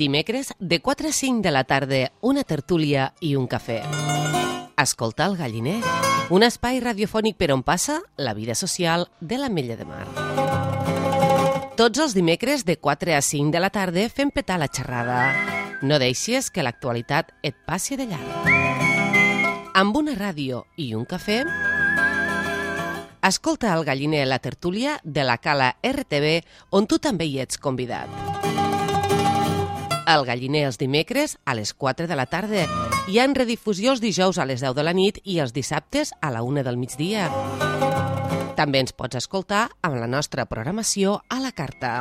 Dimecres, de 4 a 5 de la tarda, una tertúlia i un cafè. Escolta el Galliner, un espai radiofònic per on passa la vida social de l'Ametlla de Mar. Tots els dimecres, de 4 a 5 de la tarda, fem petar la xerrada. No deixis que l'actualitat et passi de llarg. Amb una ràdio i un cafè, escolta el Galliner, la tertúlia de la Cala RTV, on tu també hi ets convidat. El Galliner els dimecres a les 4 de la tarda i en redifusió els dijous a les 10 de la nit i els dissabtes a la 1 del migdia. També ens pots escoltar amb la nostra programació a la carta.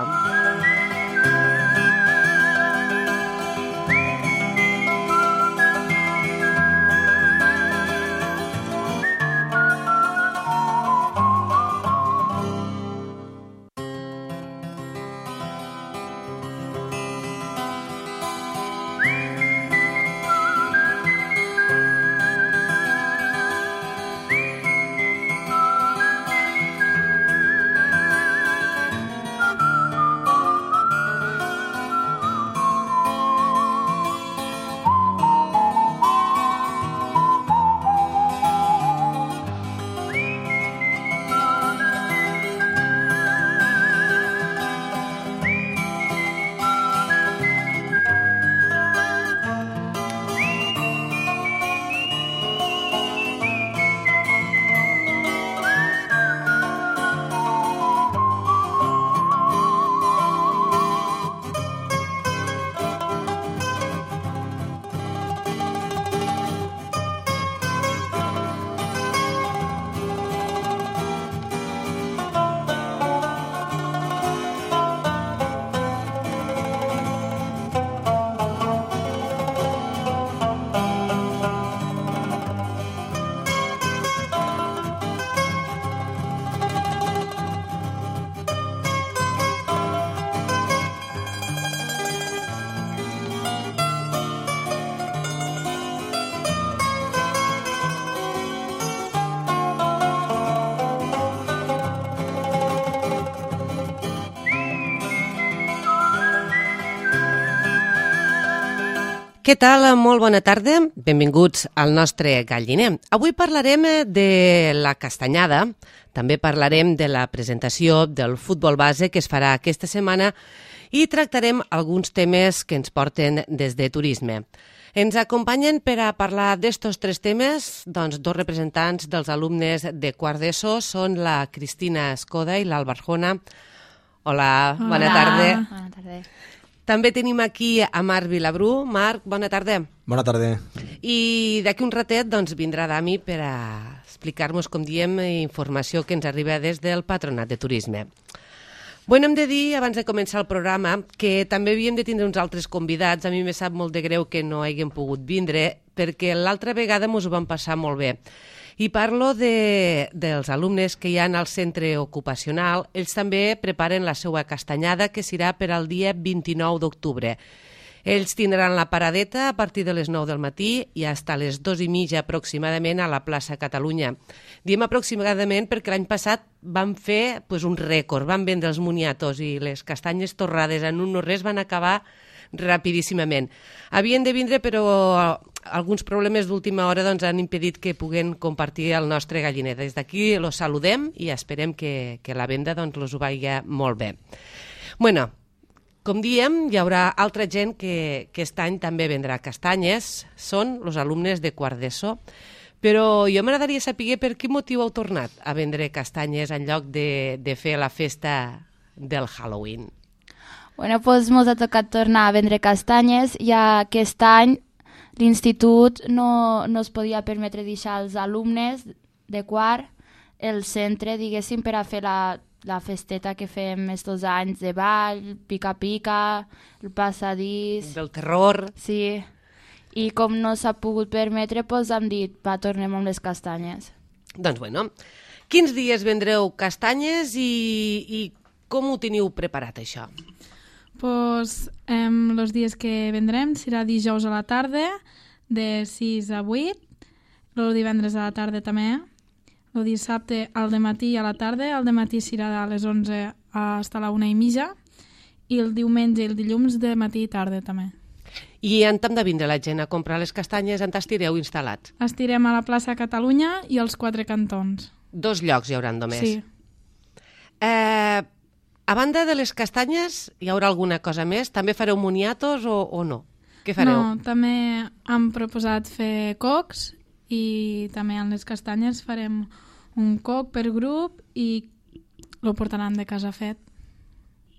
Què tal? Molt bona tarda. Benvinguts al nostre Galliner. Avui parlarem de la castanyada, també parlarem de la presentació del futbol base que es farà aquesta setmana i tractarem alguns temes que ens porten des de turisme. Ens acompanyen per a parlar d'estos tres temes dos representants dels alumnes de quart d'ESO, són la Cristina Escoda i l'Alba Arjona. Hola, bona tarda. Bona tarda. També tenim aquí a Marc Vilabrú. Marc, bona tarda. Bona tarda. I d'aquí un ratet vindrà Dami per a explicar-nos, com diem, informació que ens arriba des del Patronat de Turisme. Bueno, hem de dir, abans de començar el programa, que també havíem de tindre uns altres convidats. A mi me sap molt de greu que no haguem pogut vindre, perquè l'altra vegada ens ho vam passar molt bé. I parlo dels alumnes que hi ha al centre ocupacional. Ells també preparen la seva castanyada, que serà per al dia 29 d'octubre. Ells tindran la paradeta a partir de les 9 del matí i fins a les 2:30 aproximadament a la plaça Catalunya. Diem aproximadament perquè l'any passat van fer un rècord, van vendre els moniatos i les castanyes torrades en un no res van acabar rapidíssimament. Havien de vindre, però alguns problemes d'última hora han impedit que puguen compartir el nostre Galliner. Des d'aquí los saludem i esperem que la venda los ho vagi molt bé. Bueno, com diem, hi haurà altra gent que aquest any també vendrà castanyes, són els alumnes de quart d'ESO, però jo m'agradaria saber per quin motiu heu tornat a vendre castanyes en lloc de fer la festa del Halloween. Bueno, doncs ens ha tocat tornar a vendre castanyes, ja que aquest any l'institut no es podia permetre deixar als alumnes de quart el centre, diguéssim, per a fer la festeta que fem estos anys de ball, pica-pica, el passadís... Del terror... Sí, i com no s'ha pogut permetre, doncs hem dit, tornem amb les castanyes. Doncs bueno, quins dies vendreu castanyes i com ho teniu preparat, això? Pues los días que vendrem serà dijous a la tarda, de 6 a 8, el divendres a la tarda també, el dissabte al dematí i a la tarda, el dematí serà de les 11 fins a la 1:30 i el diumenge i el dilluns de matí i tarda també. I on hem de vindre la gent a comprar les castanyes? On estireu instal·lats? Estirem a la plaça Catalunya i als 4 cantons. 2 llocs hi hauran només. Sí. A banda de les castanyes, hi haurà alguna cosa més? També fareu moniatos o no? Què fareu? No, també hem proposat fer cocs i també en les castanyes farem un coc per grup i lo portaran de casa fet.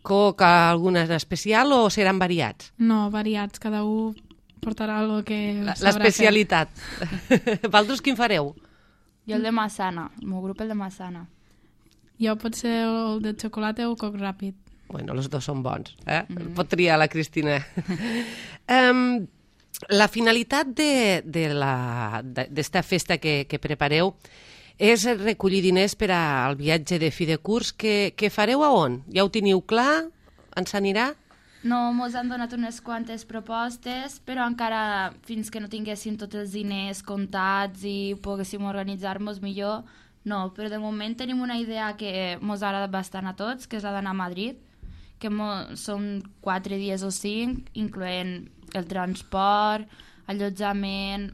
Coc alguna en especial o seran variats? No, variats, cada un portarà el que sabrà fer. L'especialitat. Vosaltres quin fareu? Jo el de Massana, el meu grup el de Massana. Jo pot ser el de xocolata o coc ràpid. Bueno, els dos són bons. Pot triar la Cristina. La finalitat d'esta festa que prepareu és recollir diners per al viatge de fi de curs. Que fareu a on? Ja ho teniu clar? On s'anirà? No, mos han donat unes quantes propostes, però encara fins que no tinguéssim tots els diners comptats i poguéssim organitzar-nos millor, no. Però de moment tenim una idea que mos agrada bastant a tots, que és la d'anar a Madrid, que són 4 dies o 5, incloent el transport, allotjament,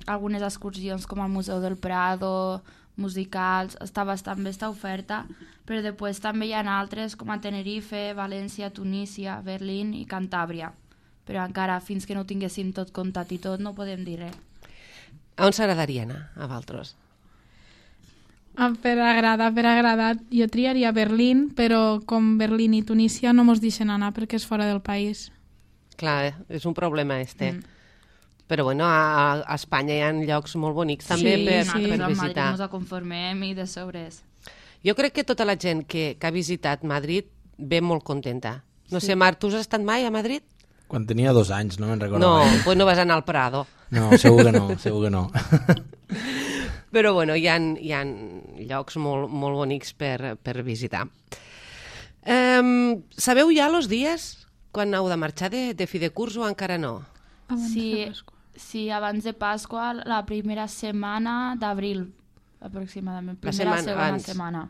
algunes excursions com al Museu del Prado, musicals, està bastant bé esta oferta, però després també hi ha altres com a Tenerife, València, Tunísia, Berlín i Cantàbria. Però encara fins que no ho tinguéssim tot comptat i tot no podem dir res. A on s'agradaria anar, a Valtros? Per agradar. Jo triaria Berlín, però com Berlín i Tunísia no mos deixen anar perquè és fora del país. Clar, és un problema Però bueno, a Espanya hi ha llocs molt bonics també per visitar. A Madrid ens conformem i de sobres. Jo crec que tota la gent que ha visitat Madrid ve molt contenta. No sé, Marc, tu has estat mai a Madrid? Quan tenia 2 anys, no me'n recordo. No, doncs no vas anar al Prado. No, segur que no. Però bueno, hi ha llocs molt bonics per visitar. Sabeu ja els dies quan heu de marxar de fi de curs o encara no? Sí, abans de Pasqua, la primera setmana d'abril, aproximadament. Segona setmana.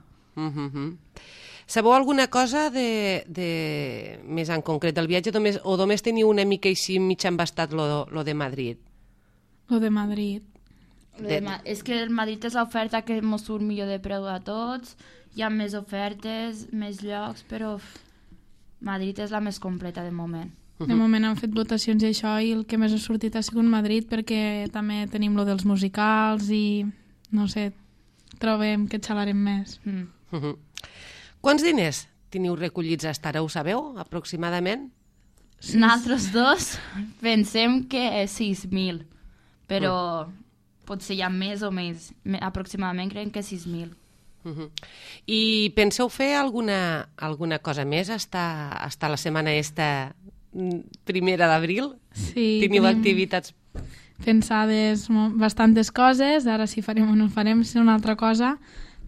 Sabeu alguna cosa més en concret del viatge o només teniu una mica així mig embastat lo de Madrid? Lo de Madrid. És que el Madrid és l'oferta que ens surt millor de preu a tots, hi ha més ofertes, més llocs, però Madrid és la més completa de moment. De moment han fet votacions i això, i el que més ha sortit ha sigut Madrid, perquè també tenim lo dels musicals i, no sé, trobem que xalarem més. Quants diners teniu recollits fins ara, ho sabeu, aproximadament? Nosaltres dos pensem que 6.000, però potser hi ha més o més. Aproximadament creiem que 6.000. I penseu fer alguna cosa més hasta la setmana esta primera d'abril? Sí, teniu activitats pensades bastantes coses, ara si farem o no farem és una altra cosa.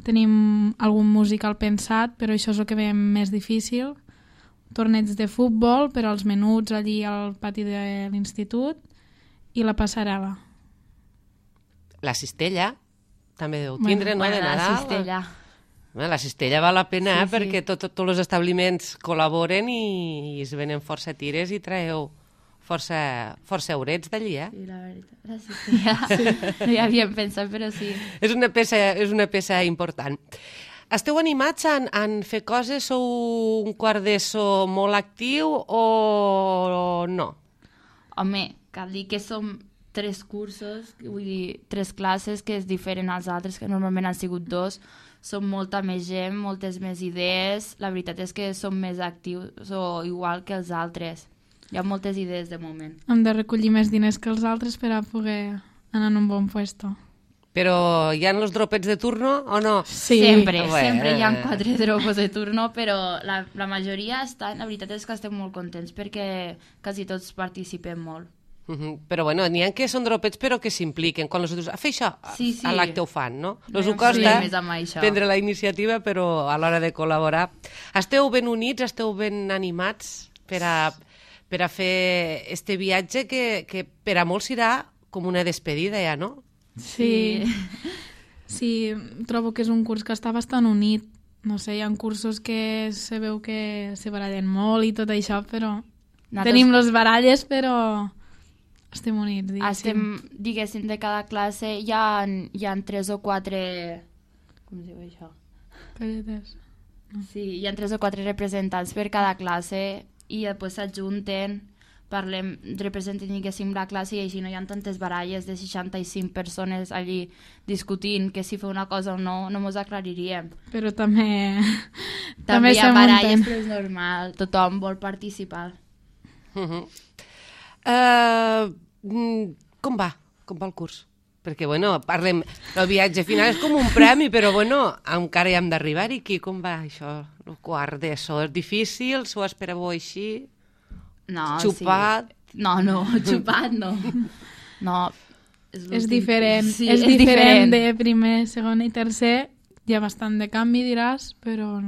Tenim algun musical pensat, però això és el que veiem més difícil. Torneigs de futbol per als menuts allí al pati de l'institut i la passarel·la. La cistella també deu tindre, no, de Nadal? La cistella. La cistella val la pena perquè tots els establiments col·laboren i es venen força tires i traeu força eurets d'allí, Sí, la veritat, la cistella. No hi havíem pensat, però sí. És una peça important. Esteu animats en fer coses? Sou un quart d'ESO molt actiu o no? Home, cal dir que som 3 cursos, vull dir, 3 classes, que és diferent als altres, que normalment han sigut 2. Som molta més gent, moltes més idees. La veritat és que som més actius o igual que els altres. Hi ha moltes idees de moment. Hem de recollir més diners que els altres per a poder anar en un bon puesto. Però hi ha els dropets de turno o no? Sí. Sempre hi ha 4 dropos de turno, però la majoria estan... La veritat és que estem molt contents perquè quasi tots participem molt. Però bueno, n'hi ha que són dropets però que s'impliquen. Quan els dius, fer això, sí. a l'acte ho fan, no? No ho costa això. prendre la iniciativa, però a l'hora de col·laborar. Esteu ben units, esteu ben animats per a fer este viatge que per a molts serà com una despedida ja, no? Sí, trobo que és un curs que està bastant unit no sé, hi ha cursos que se veu que se barallen molt i tot això, però Nosaltres tenim les baralles, però estem units, diguéssim. diguéssim, de cada classe hi ha 3 o 4... Com es diu això? Colletes. Sí, hi ha 3 o 4 representants per cada classe i després s'ajunten, parlem, representen, diguéssim, la classe i així no hi ha tantes baralles de 65 persones allí discutint que si fa una cosa o no, no mos aclariríem. Però també També hi ha se baralles, munten. però és normal, tothom vol participar. Com va? Com va el curs? Perquè, bueno, parlem... El viatge final és com un premi, però, bueno, encara hi hem d'arribar-hi. Aquí, com va això? El quart d'ESO és difícil? S'ho esperàveu així? No, Xupat? Sí. No, xupat no. No, És diferent. Sí, és diferent de primer, segon i tercer. Hi ha bastant de canvi, diràs, però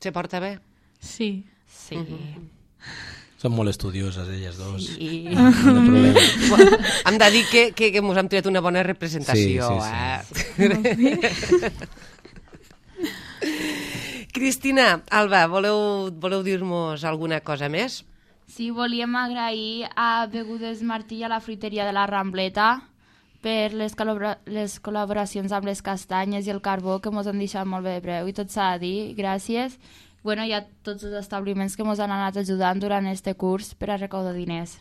Se porta bé? sí. Sí. Són molt estudioses, elles dos. Sí. No hi ha problema. Hem de dir que ens hem tret una bona representació. Sí. Cristina, Alba, voleu dir-nos alguna cosa més? Sí, volíem agrair a Begudes Martí i a la fruiteria de la Rambleta per les col·laboracions amb les castanyes i el carbó que mos han deixat molt bé de preu i tot s'ha de dir, gràcies. Bueno, hi ha tots els establiments que mos han anat ajudant durant este curs per a recaudar diners.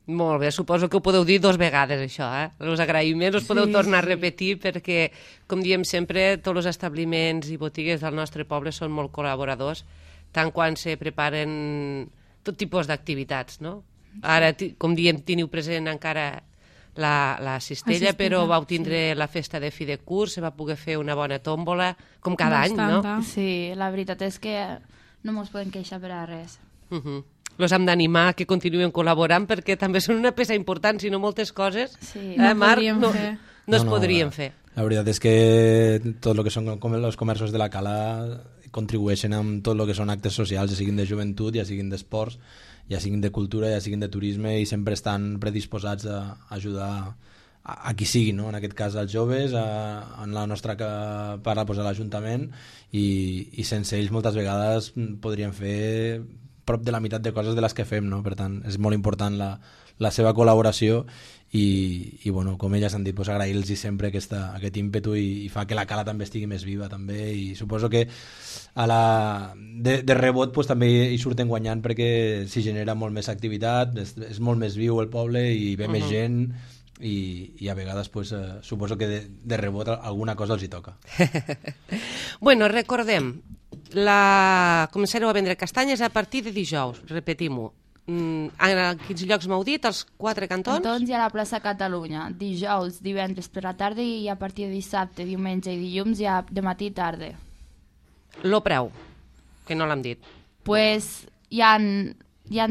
Molt bé, suposo que ho podeu dir 2 vegades, això, Els agraïments els podeu tornar a repetir perquè, com diem sempre, tots els establiments i botigues del nostre poble són molt col·laboradors, tant quan se preparen tot tipus d'activitats, no? Ara, com diem, teniu present encara la cistella, però vau tindre la festa de fi de curs, se va poder fer una bona tòmbola, com cada any, no? Sí, la veritat és que no mos podem queixar per a res. Los hem d'animar que continuen col·laborant perquè també són una peça important, si no moltes coses, Sí. Marc, fer. no es podrien fer. La veritat és que tot el que són com els comerços de la cala contribueixen amb tot el que són actes socials, ja siguin de joventut, ja siguin d'esports, ja siguin de cultura, ja siguin de turisme, i sempre estan predisposats a ajudar a qui sigui, no? En aquest cas als joves, en la nostra part pues, a l'Ajuntament, i sense ells moltes vegades podríem fer prop de la meitat de coses de les que fem, no? Per tant, és molt important la seva col·laboració i bueno, com elles han dit, pues, agrair-los sempre aquest ímpetu i fa que la cala també estigui més viva també, i suposo que de rebot pues, també hi surten guanyant perquè s'hi genera molt més activitat, és molt més viu el poble i ve més gent i a vegades pues, suposo que de rebot alguna cosa els hi toca. Bueno, recordem, començareu a vendre castanyes a partir de dijous, repetim-ho. A quins llocs m'heu dit? Els 4 cantons? Cantons i a la plaça Catalunya, dijous, divendres per la tarda i a partir de dissabte, diumenge i dilluns ja de matí i tarda. Lo preu, que no l'hem dit. Pues hi ha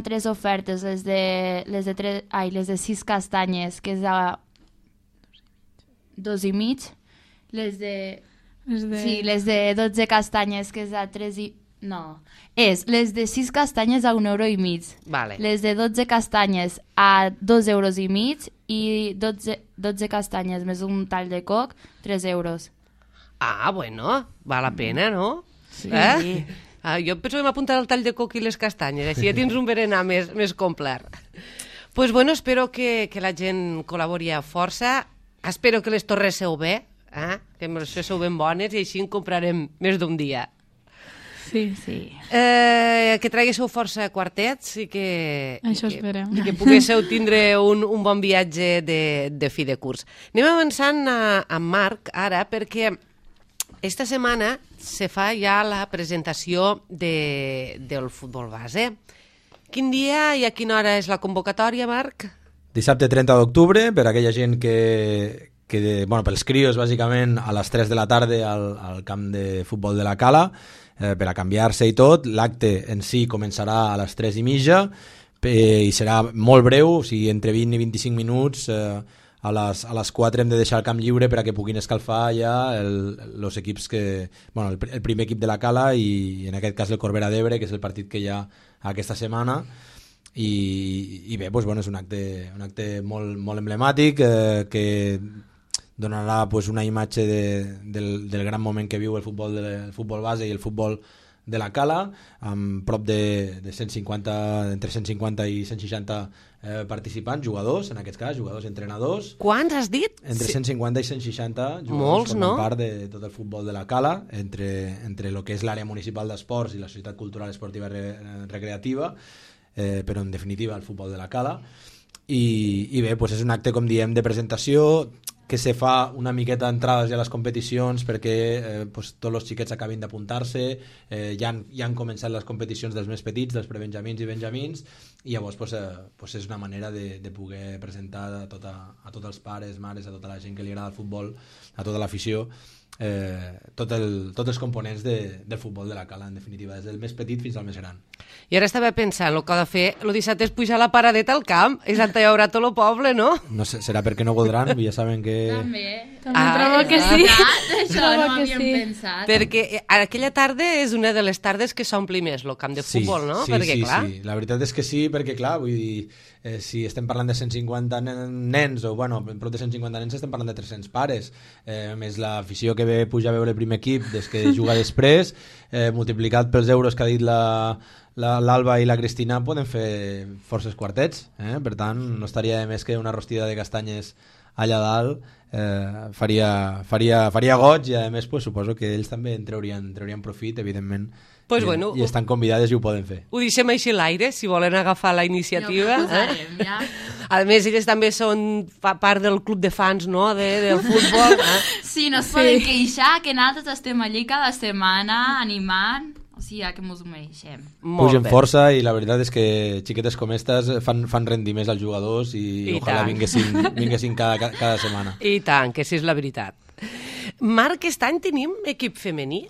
3 ofertes, les de 6 castanyes, que és a 2,5, les de 12 castanyes, que és a 3 i... No, les de 6 castanyes a 1,5 €. Vale. Les de 12 castanyes a 2,5 € i 12 castanyes més un tall de coc, 3 €. Ah, bueno, val la pena, no? Sí. Jo penso que m'apuntaré al tall de coc i les castanyes, així ja tens un berenar més complet. Pues bueno, espero que la gent col·labori a força, espero que les torresseu bé, que les fesseu ben bones i així en comprarem més d'un dia. Sí. Que traguéssiu força quartets i Això esperem. I que poguéssiu tindre un bon viatge de fi de curs. Anem avançant amb Marc ara perquè esta setmana se fa ja la presentació del futbol base. Quin dia i a quina hora és la convocatòria, Marc? Dissabte 30 d'octubre, per a aquella gent pels crios, bàsicament, a les 3 de la tarda al camp de futbol de la Cala, per a canviar-se i tot. L'acte en si començarà a les 3:30 i serà molt breu, o sigui, entre 20 i 25 minuts. A les 4 hem de deixar el camp lliure per a que puguin escalfar ja els equips el primer equip de la Cala i en aquest cas el Corbera d'Ebre, que és el partit que hi ha aquesta setmana. I bé, és un acte molt, molt emblemàtic que donarà pues, una imatge del gran moment que viu el futbol base i el futbol de la Cala, amb prop de 150, entre 150 i 160 participants, jugadors, en aquest cas, jugadors, entrenadors. Quants has dit? Entre 150 i 160 jugadors. Molts, formen no? part de tot el futbol de la Cala, entre el que és l'àrea municipal d'esports i la Societat Cultural Esportiva Recreativa, però en definitiva el futbol de la Cala. I bé, doncs és un acte, com diem, de presentació, que se fa una miqueta d'entrades ja a les competicions perquè doncs, tots els xiquets acabin d'apuntar-se, ja han començat les competicions dels més petits, dels prebenjamins i benjamins, i llavors doncs, és una manera de poder presentar a tots els pares, mares, a tota la gent que li agrada el futbol, a tota l'afició, tots els components del futbol de la Cala, en definitiva, des del més petit fins al més gran. I ara estava pensant, el que ha de fer el dissabte és pujar la paradeta al camp, i Santa Llaurà tot el poble, no? No sé, serà perquè no voldran, ja saben que... També trobo que sí. Això no ho havíem pensat. Perquè aquella tarda és una de les tardes que s'ompli més el camp de futbol, no? Perquè, clar... Sí, la veritat és que sí, perquè clar, vull dir, si estem parlant de 150 nens, o bueno, prop de 150 nens estem parlant de 300 pares, més l'afició que ve pujar a veure el primer equip des que juga després, multiplicat pels euros que ha dit l'Alba i la Cristina, poden fer forces quartets, per tant no estaria de més que una rostida de castanyes allà dalt, faria goig, i a més pues, suposo que ells també en traurien profit, evidentment, Pues bueno, i estan convidades i ho poden fer. Ho deixem així a l'aire, si volen agafar la iniciativa. Ja ho posarem, ja. A més, elles també són part del club de fans, no?, del futbol. Sí, no es poden queixar, que nosaltres estem allí cada setmana animant, o sigui, que mos ho mereixem. Pugen força, i la veritat és que xiquetes com aquestes fan rendir més als jugadors i ojalà vinguessin cada setmana. I tant, que sí és la veritat. Marc, aquest any tenim equip femení?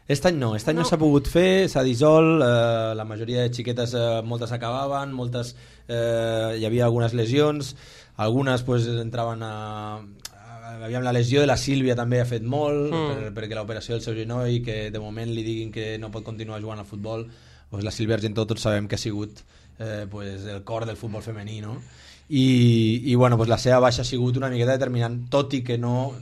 Aquest any no s'ha pogut fer, s'ha dissolt, la majoria de xiquetes, moltes acabaven, moltes hi havia algunes lesions, algunes pues, entraven aviam, la lesió de la Sílvia també ha fet molt, perquè l'operació del seu genoll, que de moment li diguin que no pot continuar jugant al futbol, pues, la Sílvia Argentó tots sabem que ha sigut pues, el cor del futbol femení, no? I bueno, pues la seva baixa ha sigut una miqueta determinant, tot i que no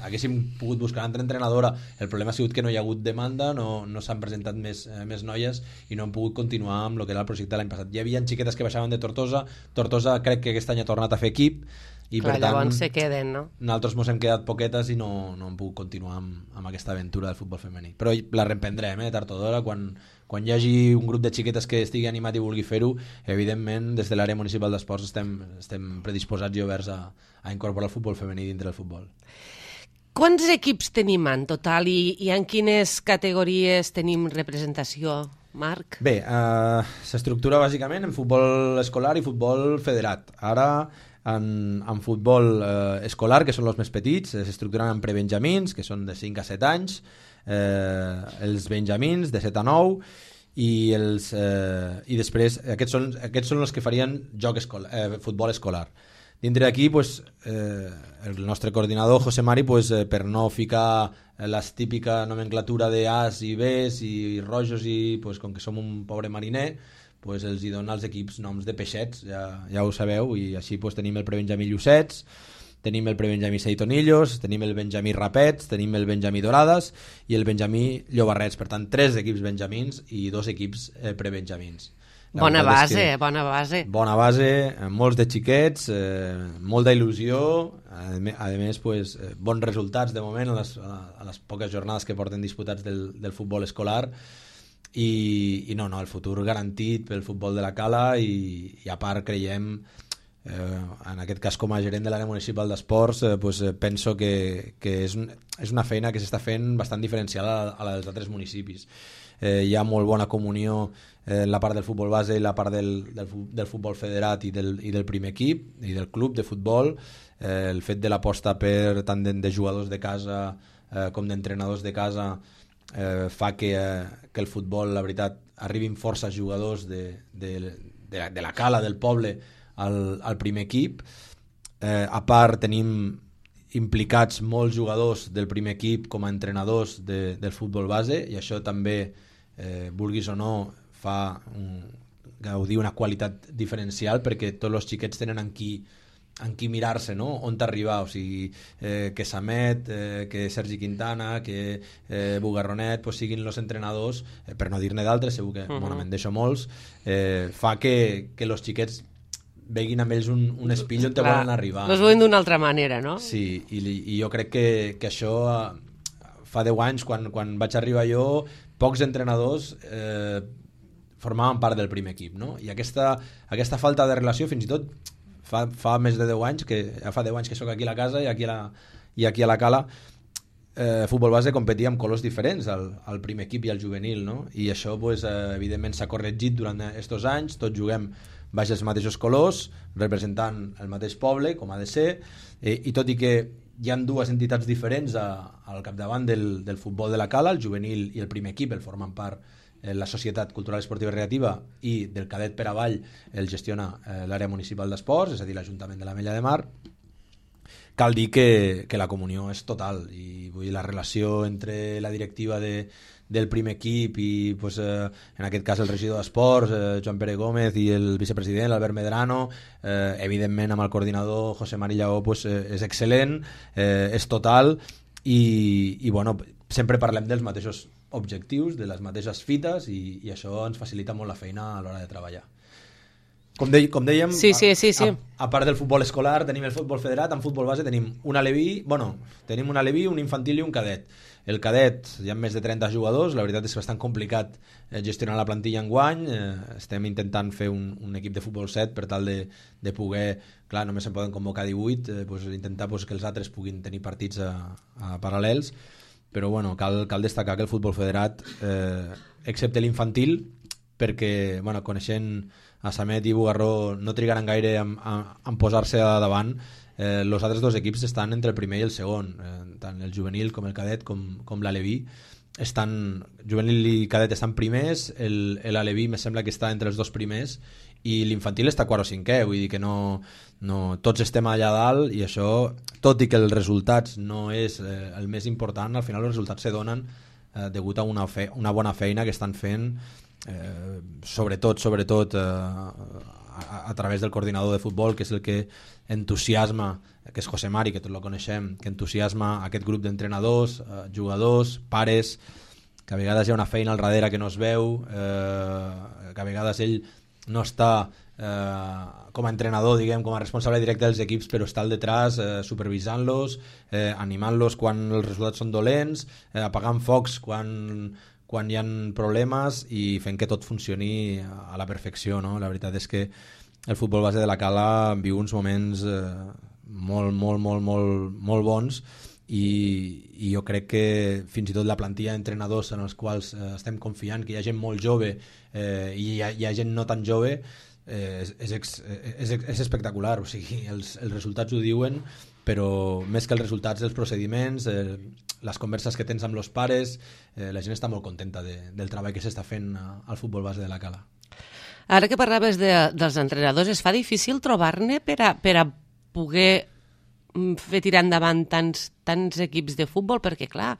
haguéssim pogut buscar una altra entrenadora. El problema ha sigut que no hi ha hagut demanda, no s'han presentat més noies i no han pogut continuar amb el que era el projecte l'any passat. Hi havia xiquetes que baixaven de Tortosa crec que aquest any ha tornat a fer equip, i clar, per tant llavors se queden, no? Nosaltres mos hem quedat poquetes i no hem pogut continuar amb aquesta aventura del futbol femení, però la reprendrem, tard o d'hora, quan hi hagi un grup de xiquetes que estigui animat i vulgui fer-ho, evidentment des de l'àrea municipal d'esports estem predisposats i oberts a incorporar el futbol femení dintre del futbol. Quants equips tenim en total i en quines categories tenim representació, Marc? Bé, s'estructura bàsicament en futbol escolar i futbol federat. Ara en futbol escolar, que són els més petits, s'estructuren en prebenjamins, que són de 5 a 7 anys, els benjamins de 7 a 9, i després aquests són els que farien futbol escolar. Dintre d'aquí, pues, el nostre coordinador, José Mari, pues, per no ficar la típica nomenclatura de A's i B's i rojos, i pues, com que som un pobre mariner, pues, els hi dona als equips noms de peixets, ja ho sabeu, i així pues, tenim el prebenjamí Llucets, tenim el prebenjamí Seitonillos, tenim el benjamí Rapets, tenim el benjamí Dorades i el benjamí Llobarrets. Per tant, 3 equips benjamins i 2 equips prebenjamins. Bona base, bona base. Bona base, molts de xiquets, molta il·lusió, a més, pues, bons resultats de moment a les poques jornades que porten disputats del futbol escolar, i no, el futur garantit pel futbol de la Cala, i a part creiem, en aquest cas com a gerent de l'àrea municipal d'esports, pues, penso que és una feina que s'està fent bastant diferenciada a la dels altres municipis. Hi ha molt bona comunió en la part del futbol base i la part del futbol federat i del primer equip i del club de futbol. El fet de l'aposta per tant de jugadors de casa com d'entrenadors de casa fa que el futbol, la veritat, arribin força jugadors de la Cala, del poble, al primer equip. A part tenim implicats molts jugadors del primer equip com a entrenadors del futbol base, i això també, vulguis o no, fa gaudir una qualitat diferencial, perquè tots els xiquets tenen amb qui en qui mirar-se, no? On t'arribar, o sigui, que Samet, que Sergi Quintana, que Bugarronet pues, siguin els entrenadors, per no dir-ne d'altres, segur que bueno, me'n deixo molts, fa que els xiquets veguin amb ells un espill on te volen arribar. Els veuen d'una altra manera, no? Sí, i jo crec que això fa 10 anys, quan vaig arribar jo, pocs entrenadors formaven part del primer equip, no? I aquesta falta de relació, fins i tot fa més de 10 anys, fa 10 anys que soc aquí a la casa i aquí a la Cala, futbol base competia amb colors diferents al primer equip i al juvenil, no? I això pues, evidentment s'ha corregit durant aquests anys, tots juguem baix els mateixos colors, representant el mateix poble, com ha de ser, i tot i que hi ha dues entitats diferents al capdavant del futbol de la Cala, el juvenil i el primer equip, el formen part la Societat Cultural Esportiva i Recreativa, i del cadet per avall el gestiona l'àrea municipal d'esports, és a dir, l'Ajuntament de l'Ametlla de Mar. Cal dir que la comunió és total, i vull dir, la relació entre la directiva del primer equip i pues, en aquest cas el regidor d'esports, Joan Pere Gómez, i el vicepresident, Albert Medrano, evidentment amb el coordinador José Mari Lleó, pues, és excel·lent, és total, i bueno, sempre parlem dels mateixos objectius, de les mateixes fites, i això ens facilita molt la feina a l'hora de treballar. Com dèiem, sí. A part del futbol escolar tenim el futbol federat, en futbol base tenim un aleví, un infantil i un cadet. El cadet hi ha més de 30 jugadors, la veritat és bastant complicat gestionar la plantilla enguany, estem intentant fer un equip de futbol 7 per tal de poder, clar, només se'n poden convocar 18, intentar que els altres puguin tenir partits a paral·lels, però bueno, cal destacar que el futbol federat, excepte l'infantil, perquè coneixent a Samet i Bugarró no trigaran gaire en posar-se a davant, els altres dos equips estan entre el primer i el segon, tant el juvenil com el cadet com l'aleví, juvenil i cadet estan primers, l'aleví me sembla que està entre els dos primers, i l'infantil està quart o cinquè, vull dir que no tots estem allà dalt, i això, tot i que els resultats no és el més important, al final els resultats se donen degut a una bona feina que estan fent, sobretot a través del coordinador de futbol, que és el que entusiasma, que és José Mari, que tots lo coneixem, que entusiasma aquest grup d'entrenadors, jugadors, pares, que a vegades hi ha una feina al darrere que no es veu, que a vegades ell no està com a entrenador, diguem, com a responsable directe dels equips, però està al detrás supervisant-los, animant-los quan els resultats són dolents, apagant focs quan hi ha problemes i fent que tot funcioni a la perfecció, no? La veritat és que el futbol base de la Cala viu uns moments molt bons, i jo crec que fins i tot la plantilla d'entrenadors en els quals estem confiant, que hi ha gent molt jove i hi ha gent no tan jove, és espectacular, o sigui, els resultats ho diuen, però més que els resultats, els procediments, les converses que tens amb els pares, la gent està molt contenta del treball que s'està fent al futbol base de la Cala. Ara que parlaves dels entrenadors, es fa difícil trobar-ne per a poder fer tirar endavant tants equips de futbol, perquè clar,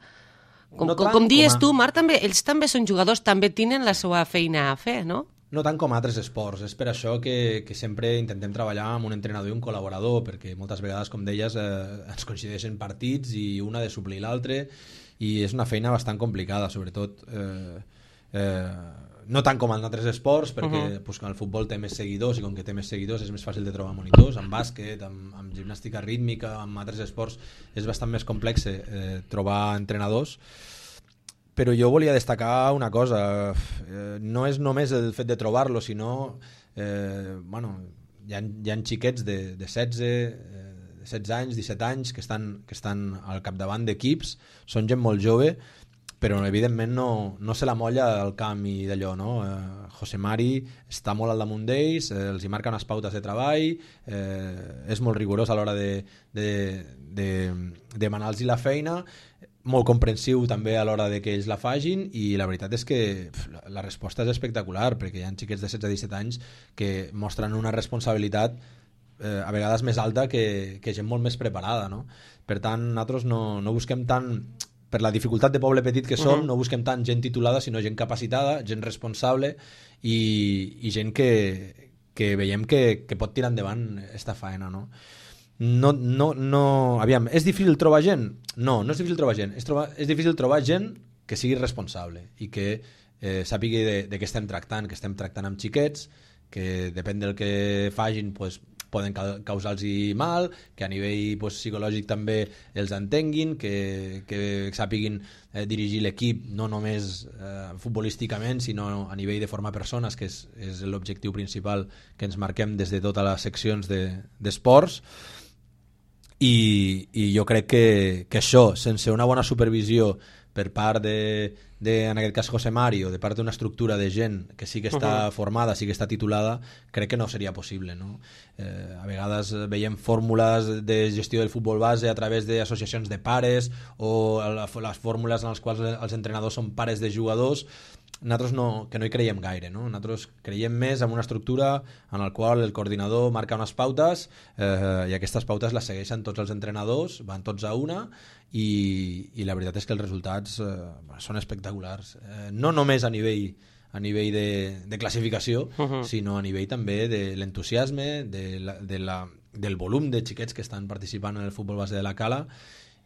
com dius tu, Marc, ells també són jugadors, també tenen la seva feina a fer, no? No tant com altres esports, és per això que sempre intentem treballar amb un entrenador i un col·laborador, perquè moltes vegades, com deies, ens coincideixen partits i un ha de suplir l'altre, i és una feina bastant complicada, sobretot no tant com en altres esports, perquè pues, el futbol té més seguidors, i com que té més seguidors és més fàcil de trobar monitors, en bàsquet, amb gimnàstica rítmica, amb altres esports és bastant més complex trobar entrenadors. Però jo volia destacar una cosa, no és només el fet de trobar-lo, sinó hi ha xiquets de 16 anys, 17 anys que estan al capdavant d'equips, són gent molt jove, però evidentment no se la molla al camp i d'allò, no? José Mari està molt al damunt d'ells, els hi marca unes pautes de treball, és molt rigorós a l'hora de demanar-los la feina, molt comprensiu també a l'hora de que ells la fagin, i la veritat és que la resposta és espectacular, perquè hi ha xiquets de 16-17 anys que mostren una responsabilitat a vegades més alta que gent molt més preparada, no? Per tant, nosaltres no busquem tant, per la dificultat de poble petit que som, no busquem tant gent titulada, sinó gent capacitada, gent responsable i gent que veiem que pot tirar endavant esta faena, no? Aviam, és difícil trobar gent? No és difícil trobar gent. És difícil trobar gent que sigui responsable i que sàpigui de què estem tractant, que estem tractant amb xiquets, que depèn del que fagin, pues, poden causar-los mal, que a nivell pues, psicològic també els entenguin, que sàpiguin dirigir l'equip no només futbolísticament, sinó a nivell de formar persones, que és l'objectiu principal que ens marquem des de totes les seccions d'esports. I jo crec que això, sense una bona supervisió per part en aquest cas José Mario, de part d'una estructura de gent que sí que està formada, sí que està titulada, crec que no seria possible, no? A vegades veiem fórmules de gestió del futbol base a través d'associacions de pares o les fórmules en les quals els entrenadors són pares de jugadors. Nosaltres que no hi creiem gaire, no? Nosaltres creiem més en una estructura en la qual el coordinador marca unes pautes i aquestes pautes les segueixen tots els entrenadors, van tots a una i la veritat és que els resultats són espectaculars. No només a nivell de classificació, sinó a nivell també de l'entusiasme, del volum de xiquets que estan participant en el futbol base de la Cala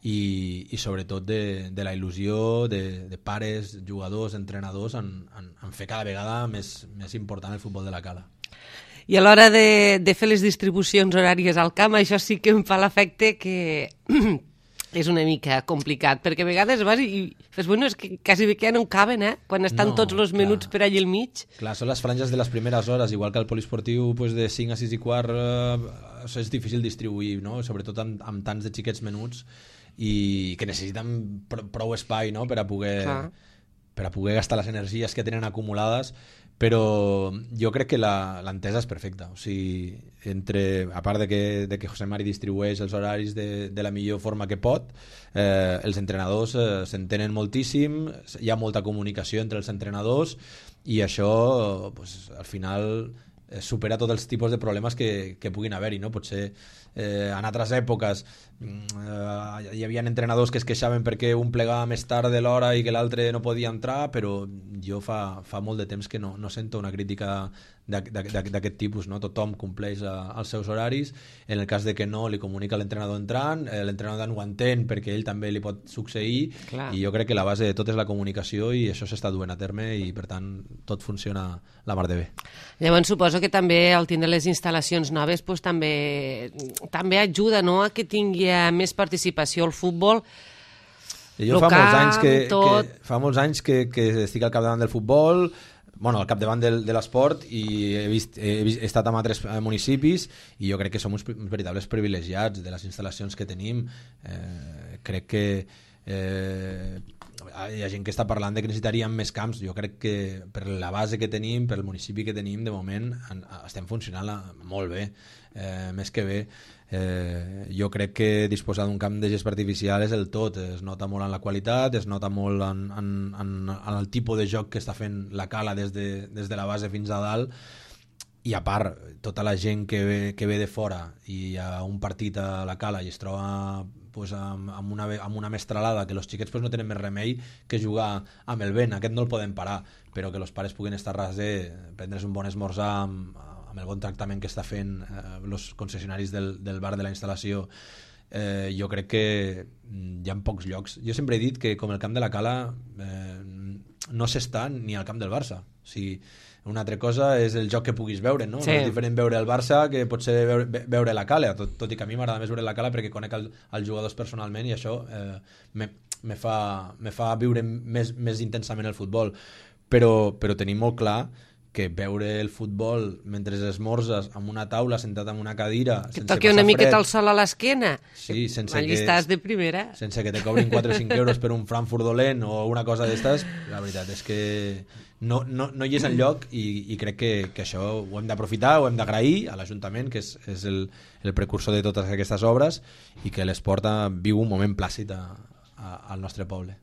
i sobretot de la il·lusió de pares, jugadors, entrenadors en fer cada vegada més important el futbol de la Cala. I a l'hora de fer les distribucions horàries al camp, això sí que em fa l'efecte que és una mica complicat, perquè a vegades vas i fes, bueno, és que quasi bé que ja no caben, quan estan tots els minuts per allà al mig. Clar, són les franges de les primeres hores, igual que el poliesportiu pues, de 5 a 6 i quart és difícil distribuir, no? Sobretot amb tants de xiquets menuts i que necessiten prou espai, no? per a poder gastar les energies que tenen acumulades, però jo crec que l'entesa és perfecta. O sigui, a part de que José Mari distribueix els horaris de la millor forma que pot, els entrenadors s'entenen moltíssim, hi ha molta comunicació entre els entrenadors i això pues, al final supera tots els tipus de problemes que puguin haver-hi, no? Potser en altres èpoques hi havia entrenadors que es queixaven perquè un plegava més tard de l'hora i que l'altre no podia entrar, però jo fa molt de temps que no sento una crítica d'aquest tipus, no? Tothom compleix els seus horaris, en el cas de que no li comunica l'entrenador entrant, l'entrenador no ho entén perquè ell també li pot succeir. Clar. I jo crec que la base de tot és la comunicació i això s'està duent a terme i per tant tot funciona la mar de bé. Llavors suposo que també al tindre les instal·lacions noves pues, també ajuda, no?, a que tingui més participació al futbol. Jo fa molts anys que estic al capdavant del futbol, al capdavant de l'esport, i he estat en altres municipis i jo crec que som uns veritables privilegiats de les instal·lacions que tenim. Crec que hi ha gent que està parlant de que necessitaríem més camps. Jo crec que per la base que tenim, per el municipi que tenim, de moment estem funcionant molt bé, més que bé. Jo crec que disposar d'un camp de gest artificial és el tot, es nota molt en la qualitat, es nota molt en el tipus de joc que està fent la Cala des de la base fins a dalt, i a part tota la gent que ve de fora i a un partit a la Cala i es troba pues, amb una mestralada que els xiquets pues, no tenen més remei que jugar amb el vent, aquest no el podem parar, però que els pares puguin estar ras prendre's un bon esmorzar amb el bon tractament que està fent els concessionaris del bar de la instal·lació. Jo crec que hi ha pocs llocs. Jo sempre he dit que com el camp de la Cala no s'està ni al camp del Barça. O sigui, una altra cosa és el joc que puguis veure, no? Sí. No és diferent veure el Barça que potser veure la Cala, tot i que a mi m'agrada més veure la Cala perquè conec els jugadors personalment i això me fa viure més intensament el futbol. Però tenim molt clar que veure el futbol mentre esmorzes amb una taula, sentat en una cadira, que toqui una miqueta el sol a l'esquena, sí, allí estàs de primera, sense que te cobrin 4 o 5 euros per un Frankfurt dolent o una cosa d'estes, la veritat és que no hi és enlloc i crec que això ho hem d'aprofitar, ho hem d'agrair a l'Ajuntament, que és el precursor de totes aquestes obres, i que l'esport viu un moment plàcid al nostre poble.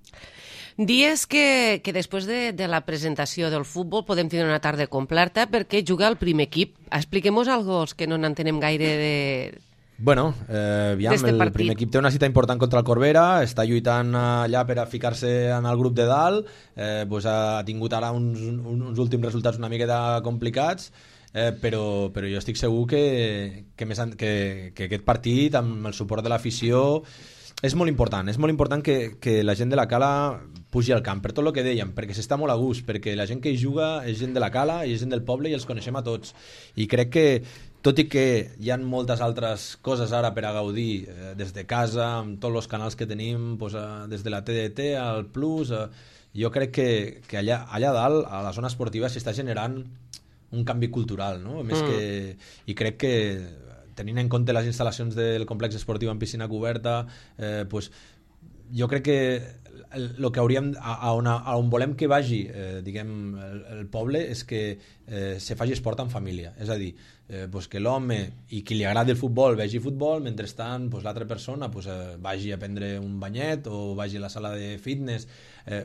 Dies que després de la presentació del futbol podem tenir una tarda completa perquè juga el primer equip. Expliquem-nos algo als que no n'entenem gaire de... Bueno, el primer equip té una cita important contra el Corbera, està lluitant allà per a ficar-se en el grup de dalt, ha tingut ara uns últims resultats una miqueta complicats, però jo estic segur que aquest partit, amb el suport de l'afició, és molt important que la gent de la Cala pugi al camp, per tot el que dèiem, perquè s'està molt a gust, perquè la gent que hi juga és gent de la Cala i és gent del poble i els coneixem a tots, i crec que tot i que hi ha moltes altres coses ara per a gaudir des de casa, amb tots els canals que tenim, des de la TDT al Plus, jo crec que allà dalt, a la zona esportiva, s'està generant un canvi cultural, no? Més que, i crec que tenint en compte les instal·lacions del complex esportiu en piscina coberta, jo crec que el que hauríem, a on volem que vagi diguem, el poble, és que se faci esport en família, és a dir, que l'home i qui li agrada el futbol vegi futbol, mentrestant l'altra persona vagi a prendre un banyet o vagi a la sala de fitness,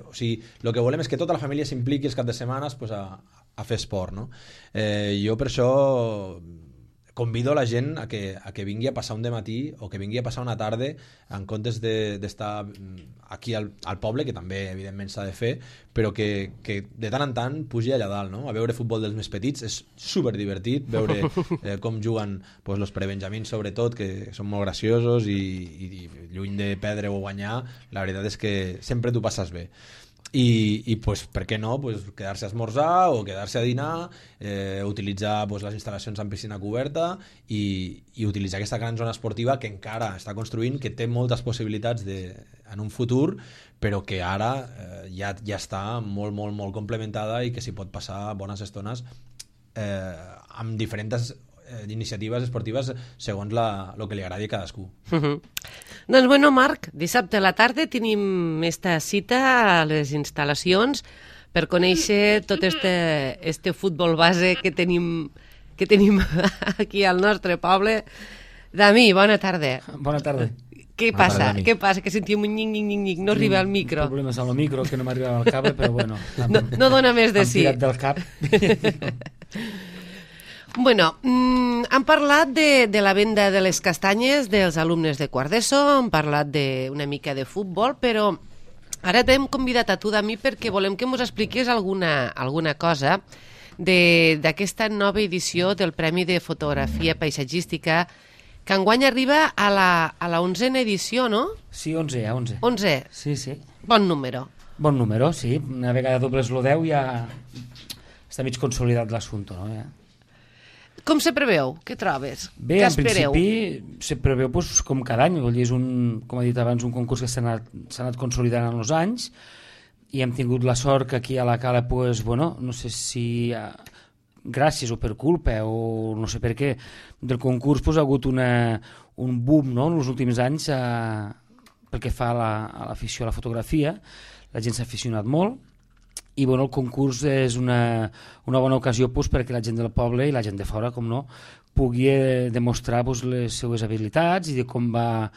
o sigui, el que volem és que tota la família s'impliqui els caps de setmanes a fer esport, no? Jo per això convido la gent a que vingui a passar un dematí o que vingui a passar una tarda en comptes d'estar aquí al poble, que també evidentment s'ha de fer, però que de tant en tant pugi allà dalt, no? A veure futbol dels més petits, és superdivertit veure com juguen els prebenjamins, sobretot, que són molt graciosos i lluny de perdre o guanyar, la veritat és que sempre t'ho passes bé. I per què no, quedar-se a esmorzar o quedar-se a dinar, utilitzar les instal·lacions en piscina coberta i utilitzar aquesta gran zona esportiva que encara està construint, que té moltes possibilitats en un futur, però que ara ja està molt, molt, molt complementada i que s'hi pot passar bones estones amb diferents iniciatives esportives segons el que li agradi a cadascú. Doncs bueno, Marc, dissabte a la tarda tenim esta cita a les instal·lacions per conèixer tot este futbol base que tenim aquí al nostre poble. Dami, bona tarda. Bona tarda. Què passa? Què passa? Que sentim un nying-nying-nying, no arriba al micro. Problemes amb el micro, que no m'arriba al cable, però bueno. No dona més de sí. Hem tirat del cap. Bueno, hem parlat de la venda de les castanyes dels alumnes de quart d'ESO, hem parlat una mica de futbol, però ara t'hem convidat a tu, Dami, perquè volem que ens expliquis alguna cosa d'aquesta nova edició del Premi de Fotografia Paisatgística, que enguany arriba a la 11a edició, no? Sí, 11. 11? Sí, sí. Bon número. Bon número, sí. Una vegada dobles lo 10 ja està mig consolidat l'assumpte, no? Ja. Com se preveu? Què trobes? Bé, què en espereu? principi se preveu com cada any, vol dir, és com he dit abans, un concurs que s'ha anat consolidant en els anys i hem tingut la sort que aquí a la Cala, no sé si gràcies o per culpa o no sé per què, del concurs ha hagut un boom, no?, en els últims anys pel que fa a l'afició a la fotografia. La gent s'ha aficionat molt i el concurs és una bona ocasió perquè la gent del poble i la gent de fora, com no, pugui demostrar les seues habilitats i de com va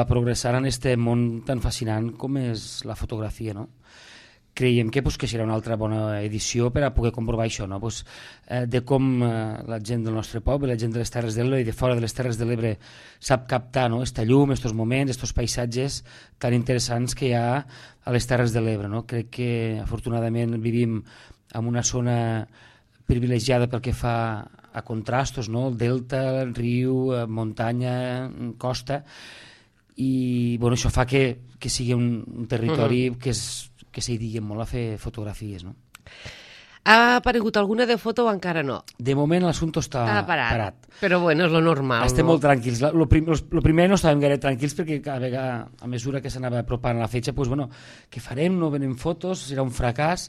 progressar en aquest món tan fascinant com és la fotografia, no? Creiem que serà una altra bona edició per a poder comprovar això, no? De com la gent del nostre poble, la gent de les Terres de l'Ebre i de fora de les Terres de l'Ebre sap captar aquesta llum, aquests moments, aquests paisatges tan interessants que hi ha a les Terres de l'Ebre, no? Crec que afortunadament vivim en una zona privilegiada pel que fa a contrastos, no? El delta, el riu, muntanya, costa, i això fa que sigui un territori que s'hi digui molt a fer fotografies, no? Ha aparegut alguna de foto o encara no? De moment l'assumpte està parat. Però bueno, és lo normal. Estem molt tranquils. Lo primer no estàvem gaire tranquils perquè a mesura que s'anava apropant la fetge, què farem? No venen fotos, serà un fracàs,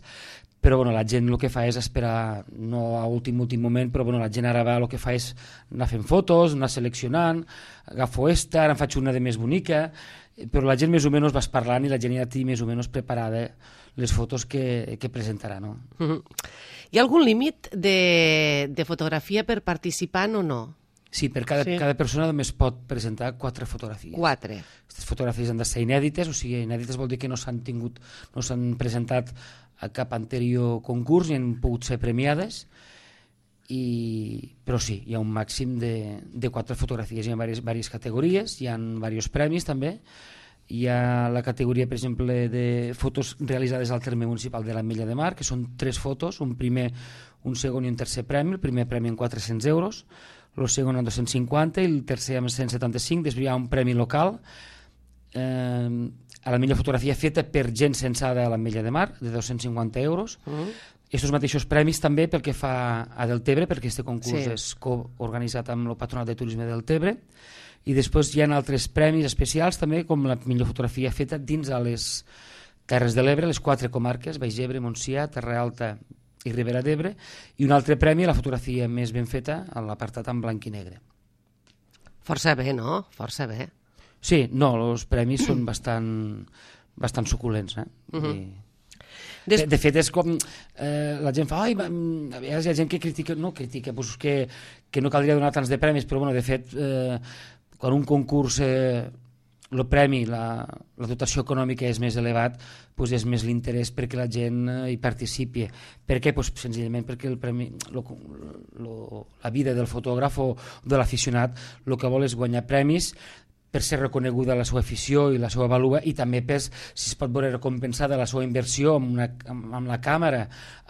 però la gent el que fa és esperar, no a últim moment, però la gent ara el que fa és anar fent fotos, anar seleccionant, agafo ara en faig una de més bonica, però la gent més o menys vas parlant i la gent ja té més o menys preparada les fotos que presentarà, no? Hi ha algun límit de fotografia per participant o no? Sí, per cada persona només pot presentar 4 fotografies. 4. Aquestes fotografies han de ser inèdites, o sigui, inèdites vol dir que no s'han presentat a cap anterior concurs i han pogut ser premiades, però sí, hi ha un màxim de 4 fotografies, hi ha diverses categories, hi ha diversos premis també, Hi ha la categoria, per exemple, de fotos realitzades al terme municipal de l'Ametlla de Mar, que són 3 fotos, un primer, un segon i un tercer premi. El primer premi en 400 euros, el segon en 250 i el tercer en 175. Després hi ha un premi local a la millor fotografia feta per gent censada a l'Ametlla de Mar, de 250 euros. Estos mateixos premis també pel que fa a Deltebre, perquè aquest concurs és coorganitzat amb el Patronat de Turisme del Deltebre. I després hi ha altres premis especials també, com la millor fotografia feta dins a les Terres de l'Ebre, les 4 comarques, Baix Ebre, Montsià, Terra Alta i Ribera d'Ebre, i un altre premi a la fotografia més ben feta a l'apartat en blanc i negre. Força bé, no? Força bé. Sí, no, els premis són bastant suculents. De fet, és com la gent fa, a vegades hi ha gent que critica, doncs que no caldria donar tants de premis, però bueno, de fet, quan un concurs el premi, la dotació econòmica és més elevat, doncs és més l'interès perquè la gent hi participi. Per què? Doncs senzillament perquè el premi, la vida del fotògraf o de l'aficionat el que vol és guanyar premis per ser reconeguda la seva afició i la seva vàlua, i també per si es pot veure recompensada la seva inversió amb la càmera,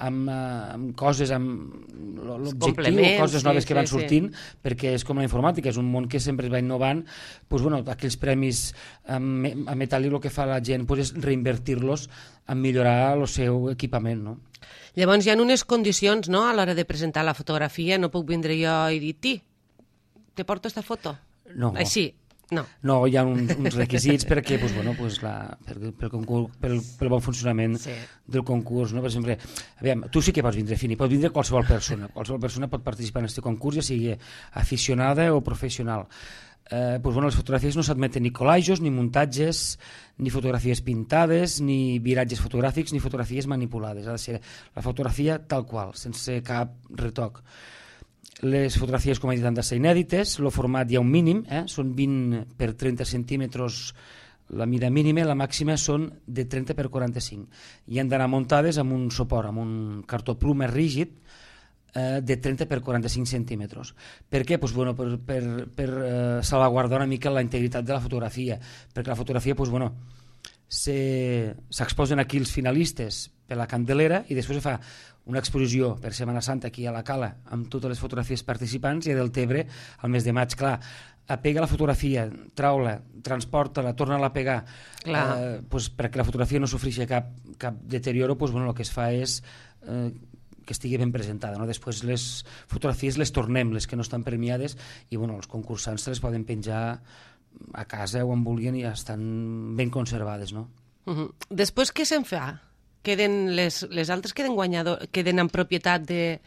amb coses, amb l'objectiu, coses noves que van sortint, perquè és com la informàtica, és un món que sempre es va innovant. Aquells premis a Metal·li el que fa la gent és reinvertir-los en millorar el seu equipament. Llavors hi ha unes condicions a l'hora de presentar la fotografia, no puc vindre jo i dir, te porto esta foto? No. Així? No, hi ha uns requisits perquè pel bon funcionament del concurs. Per exemple, tu sí que pots vindre, Fini, pot vindre qualsevol persona pot participar en aquest concurs, ja sigui aficionada o professional. Les fotografies no s'admeten ni collages, ni muntatges, ni fotografies pintades, ni viratges fotogràfics, ni fotografies manipulades. Ha de ser la fotografia tal qual, sense cap retoc. Les fotografies, com he dit, han de ser inèdites. El format hi ha un mínim, són 20 per 30 centímetres la mida mínima, la màxima són de 30 per 45 i han d'anar muntades amb un suport, amb un cartó pluma rígid de 30 per 45 centímetres. Per què? Per salvaguardar una mica la integritat de la fotografia, perquè la fotografia s'exposen aquí els finalistes per la Candelera i després fa una exposició per Setmana Santa aquí a la Cala amb totes les fotografies participants, i a Deltebre al mes de maig. Clar, apega la fotografia, trau-la, transporta-la, torna-la a pegar, perquè la fotografia no sofreixi cap deterioro, el que es fa és que estigui ben presentada. Després les fotografies les tornem, les que no estan premiades, i els concursants se les poden penjar a casa o on vulguin i ja estan ben conservades. Després què se'n fa? Les altres queden en propietat de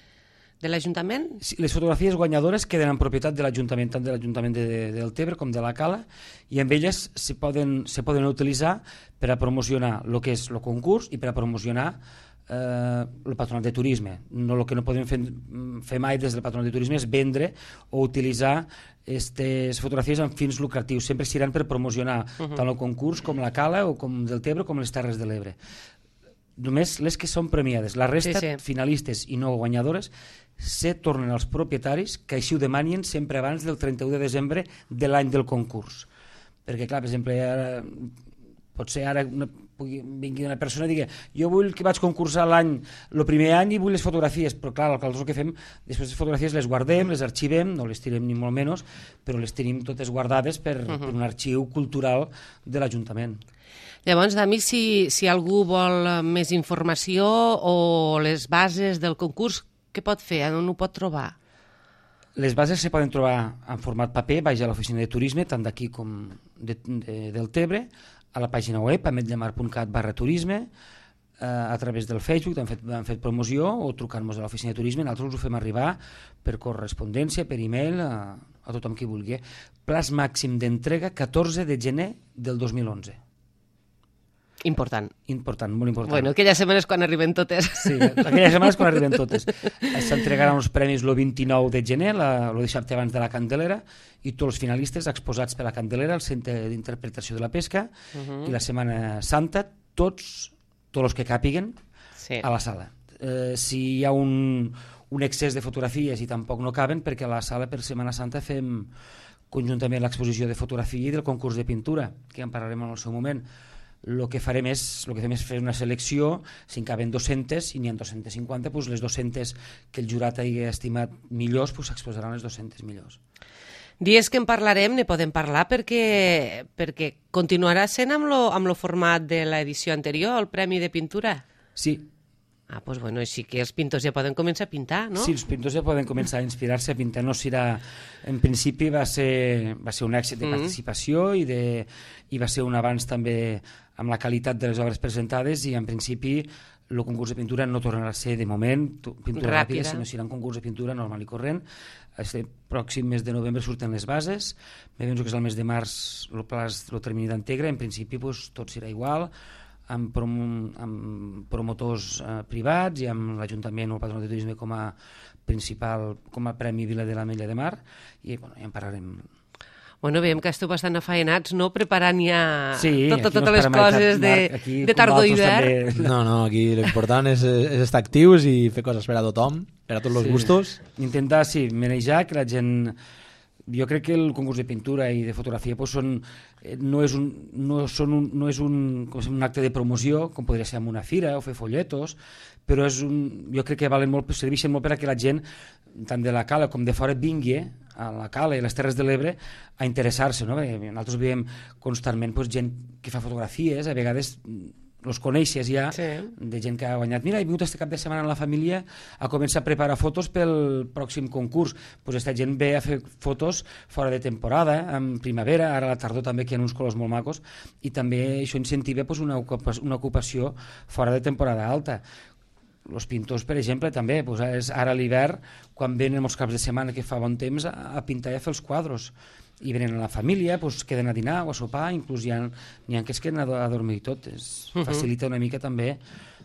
l'Ajuntament? Sí, les fotografies guanyadores queden en propietat de l'Ajuntament, tant de l'Ajuntament de Deltebre com de la Cala, i amb elles se poden utilitzar per a promocionar el que és el concurs i per a promocionar el Patronat de Turisme. El que no podem fer mai des del Patronat de Turisme és vendre o utilitzar aquestes fotografies amb fins lucratius. Sempre seran per promocionar tant el concurs com la Cala o com Deltebre com les Terres de l'Ebre. Només les que són premiades. La resta, finalistes i no guanyadores, se tornen als propietaris, que així ho demanin sempre abans del 31 de desembre de l'any del concurs. Perquè, clar, per exemple, potser ara vingui una persona i digui jo vull que vaig concursar el primer any i vull les fotografies, però clar, el que fem, després les fotografies les guardem, les arxivem, no les tirem ni molt menys, però les tenim totes guardades per un arxiu cultural de l'Ajuntament. Llavors, Dami, si algú vol més informació o les bases del concurs, què pot fer? On ho pot trobar? Les bases se poden trobar en format paper, baix a l'oficina de turisme, tant d'aquí com de Deltebre, a la pàgina web, ametlllamar.cat/turisme, a través del Facebook, han fet promoció, o trucant-nos a l'oficina de turisme. Nosaltres us ho fem arribar per correspondència, per e-mail, a tothom qui vulgui. Plaç màxim d'entrega 14 de gener del 2011. Important. Important, molt important. Bueno, aquelles setmanes quan arriben totes. Sí, aquelles setmanes quan arriben totes. S'entregaran els premis el 29 de gener, el dissabte abans de la Candelera, i tots els finalistes exposats per la Candelera, al Centre d'Interpretació de la Pesca, i la Setmana Santa, tots els que càpiguen a la sala. Si hi ha un excés de fotografies i tampoc no caben, perquè a la sala per Setmana Santa fem conjuntament l'exposició de fotografia i del concurs de pintura, que en parlarem en el seu moment. El que fem és fer una selecció, si en caben 200 i n'hi ha 250, doncs les 200 que el jurat hagi estimat millors s'exposaran les 200 millors. Dies que en parlarem, ne podem parlar perquè continuarà sent amb lo format de l'edició anterior, el Premi de Pintura? Sí. Ah, doncs bueno, així que els pintors ja poden començar a pintar, no? Sí, els pintors ja poden començar a inspirar-se a pintar. No serà... En principi va ser un èxit de participació i va ser un avanç també amb la qualitat de les obres presentades i en principi el concurs de pintura no tornarà a ser de moment pintura ràpida, sinó serà un concurs de pintura normal i corrent. Este pròxim mes de novembre surten les bases, me penso que és el mes de març el termini d'Antegra, en principi tot serà igual, amb promotors privats i amb l'Ajuntament o el Patronat de Turisme com a principal, com a Premi Vila de l'Ametlla de Mar, i ja en parlarem. Bueno, veiem que esteu bastant afaenats, no?, preparant ja totes les no coses de tardor i hivern. No, aquí l'important és estar actius i fer coses per a tothom, per a tots els gustos. Intentar, manejar que la gent... Jo crec que el concurs de pintura i de fotografia no és un acte de promoció, com podria ser en una fira o fer folletos, però jo crec que serveixen molt per a que la gent, tant de la Cala com de fora, vingui a la Cala i a les Terres de l'Ebre a interessar-se. Nosaltres veiem constantment gent que fa fotografies, a vegades els coneixes ja, de gent que ha guanyat. Mira, he vingut este cap de setmana amb la família a començar a preparar fotos pel pròxim concurs. Aquesta gent ve a fer fotos fora de temporada, en primavera, ara a la tardor també, que hi ha uns colors molt macos, i també això incentiva una ocupació fora de temporada alta. Els pintors, per exemple, també, ara a l'hivern, quan venen els caps de setmana que fa bon temps, a pintar i a fer els quadros. I venen a la família, queden a dinar o a sopar, inclús n'hi ha que es queden a dormir i tot. Facilita una mica també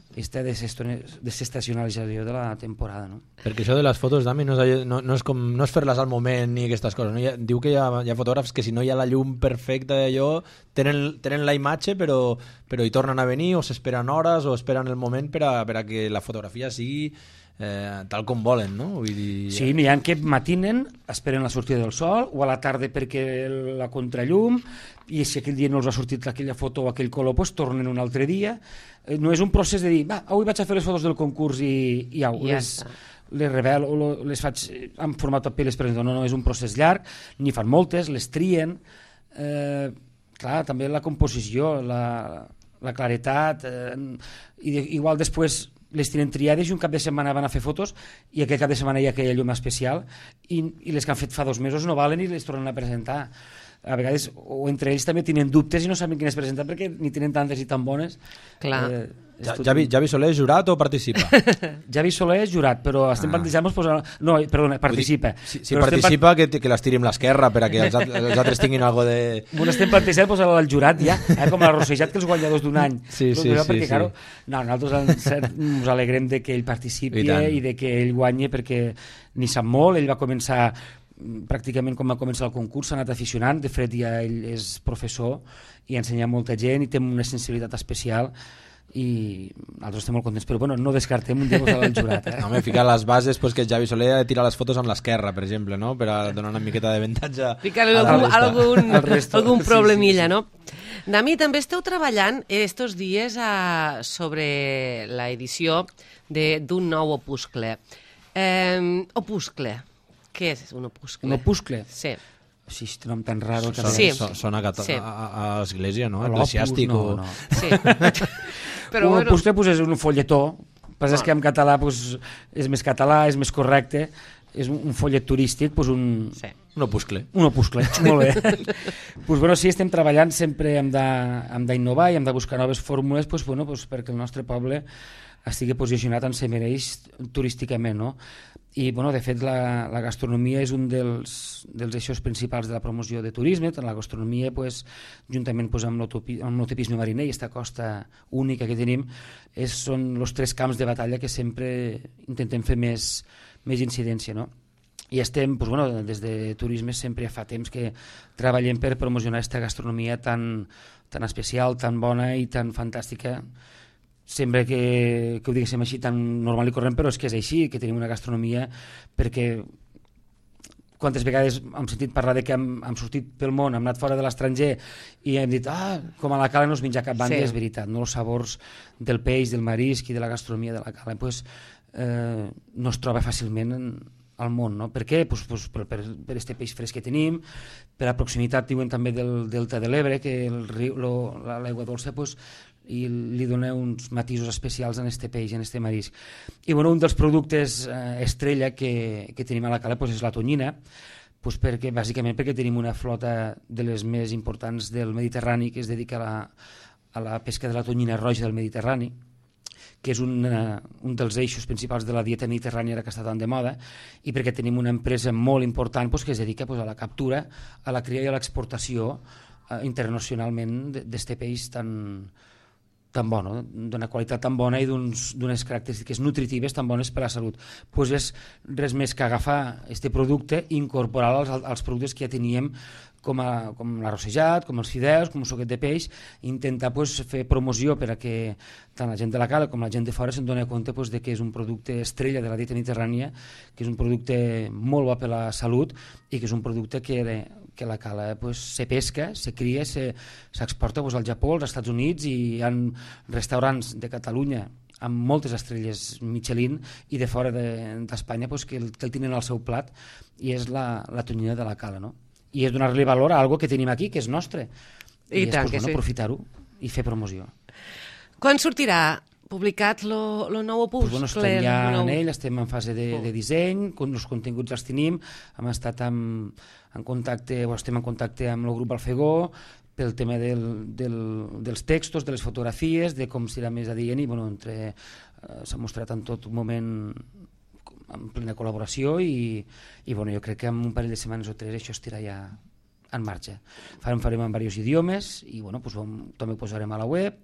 aquesta desestacionalització de la temporada. No? Perquè això de les fotos, Dami, no és fer-les al moment ni aquestes coses. No? Diu que hi ha fotògrafs que si no hi ha la llum perfecta d'allò, tenen la imatge però hi tornen a venir o s'esperen hores o esperen el moment per a que la fotografia sigui tal com volen, no? Vull dir... Sí, n'hi ha que matinen, esperen la sortida del sol, o a la tarda perquè la contrallum, i si aquell dia no els ha sortit aquella foto o aquell color, tornen un altre dia. No és un procés de dir, avui vaig a fer les fotos del concurs i au, les revelo, o les faig en format paper, les presento. No, és un procés llarg, n'hi fan moltes, les trien. Clar, també la composició, la claretat, igual després les tenen triades i un cap de setmana van a fer fotos i aquell cap de setmana hi ha aquella llum especial i les que han fet fa 2 mesos no valen i les tornen a presentar. A vegades, o entre ells també tenen dubtes i no saben quines presenten perquè ni tenen tantes i tan bones. Clar. Javi Soler és jurat o participa? Javi Soler és jurat, però estem plantejant-nos... No, perdona, participa. Si participa, que les tiri amb l'esquerra per a que els altres tinguin alguna de... Bueno, estem plantejant posar-lo al jurat ja, com a rossejat que els guanyadors d'un any. Sí. Claro, nosaltres ens alegrem de que ell participi i de que ell guanyi perquè ni sap molt, ell va començar pràcticament quan va començar el concurs, s'ha anat aficionant, de fet ja ell és professor i ensenya molta gent i té una sensibilitat especial i nosaltres estem molt contents, però bueno, no descartem un dia posar el jurat. No, m'he ficat les bases que el Javi Soler tira les fotos amb l'esquerra, per exemple, no? Per a donar una miqueta d'avantatge. Ficar-li algun problemilla, no? Dami, també esteu treballant estos dies sobre l'edició d'un nou opuscle. Opuscle. Què és un opuscle? Un opuscle? Sí. Sí, aquest nom tan raro. Sona a l'església, no? Eclesiàstic. No. Sí. Però un opuscle és un folletó. El que passa és que en català és més català, és més correcte. És un follet turístic, un opuscle. Un opuscle, molt bé. Sí, estem treballant, sempre hem d'innovar i hem de buscar noves fórmules perquè el nostre poble estigui posicionat on se mereix turísticament, no? I, de fet, la gastronomia és un dels eixos principals de la promoció de turisme. La gastronomia, juntament amb l'utopisme mariner i aquesta costa única que tenim, són els 3 camps de batalla que sempre intentem fer més incidència, no? I estem, des de turisme sempre fa temps que treballem per promocionar aquesta gastronomia tan especial, tan bona i tan fantàstica. Sembla que ho diguéssim així tan normal i corrent, però és que és així, que tenim una gastronomia perquè quantes vegades hem sentit parlar de que hem sortit pel món, hem anat fora de l'estranger i hem dit, com a la cala no es menja cap banda, és veritat, no? Els sabors del peix, del marisc i de la gastronomia de la cala pues, no es troba fàcilment al món, no? Per què? Pues per este peix fresc que tenim, per la proximitat, diuen també del delta de l'Ebre, que l'aigua dolça pues, i li dona uns matisos especials en este peix, en este marisc. I bueno, un dels productes estrella que tenim a la cala pues, és la tonyina, pues bàsicament perquè tenim una flota de les més importants del Mediterrani que es dedica a la pesca de la tonyina roja del Mediterrani, que és un dels eixos principals de la dieta mediterrània que està tan de moda, i perquè tenim una empresa molt important pues, que es dedica pues, a la captura, a la cria i a l'exportació internacionalment d'este peix tan bo, no? D'una qualitat tan bona i d'unes característiques nutritives tan bones per a la salut. Pues és res més que agafar aquest producte i incorporar-lo als productes que ja teníem com l'arrossejat, com els fideus, com el suquet de peix, i intentar pues, fer promoció per a que tant la gent de la cala com la gent de fora se'n doni compte pues, de que és un producte estrella de la dieta mediterrània, que és un producte molt bo per a la salut i que és un producte que la cala pues, se pesca, se cria, s'exporta pues, al Japó, als Estats Units, i hi ha restaurants de Catalunya amb moltes estrelles Michelin i de fora d'Espanya pues, que el tenen al seu plat, i és la tonyina de la cala, no? I és donar-li valor a algo que tenim aquí, que és nostre. I és pues, aprofitar-ho i fer promoció. Quan sortirà publicat el nou opus? Pues, estem ja en ell, estem en fase de disseny, els continguts els tenim, hem estat en contacte, estem en contacte amb el grup Alfegó pel tema dels textos, de les fotografies, de com serà més adient, i bueno, s'ha mostrat en tot moment en plena col·laboració, i bueno, jo crec que en un parell de setmanes o 3 això estirà ja en marxa. Farem en diversos idiomes i bueno, pues, també ho posarem a la web